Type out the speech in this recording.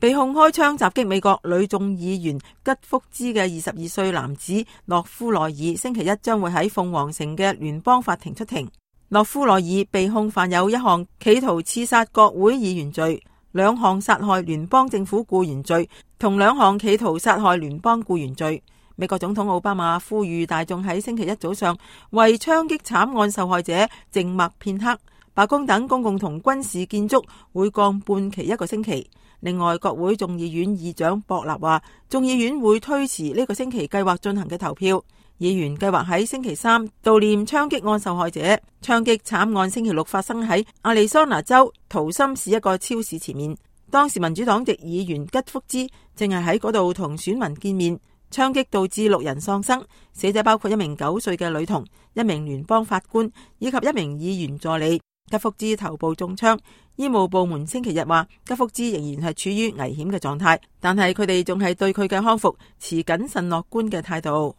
被控開槍襲擊美國女眾議員吉福茲嘅22歲男子諾夫羅爾，星期一將會喺鳳凰城嘅聯邦法庭出庭。諾夫羅爾被控犯有一項企圖刺殺國會議員罪、2項殺害聯邦政府僱員罪同2項企圖殺害聯邦僱員罪。美國總統奧巴馬呼籲大眾喺星期一早上為槍擊慘案受害者靜默片刻。白宮等公共同軍事建築會降半旗1個星期。另外，國會眾議院議長博納話，眾議院會推遲呢個星期計劃進行嘅投票。議員計劃喺星期3悼念槍擊案受害者。槍擊慘案星期6發生喺亞利桑那州圖森市一個超市前面，當時民主黨籍議員吉福茲正係喺嗰度同選民見面。槍擊導致6人喪生，死者包括1名9歲嘅女童、1名聯邦法官以及1名議員助理。吉福茲頭部中槍，醫務部門星期日話吉福茲仍然係處於危險嘅狀態，但係佢哋仲係對佢嘅康復持謹慎樂觀嘅態度。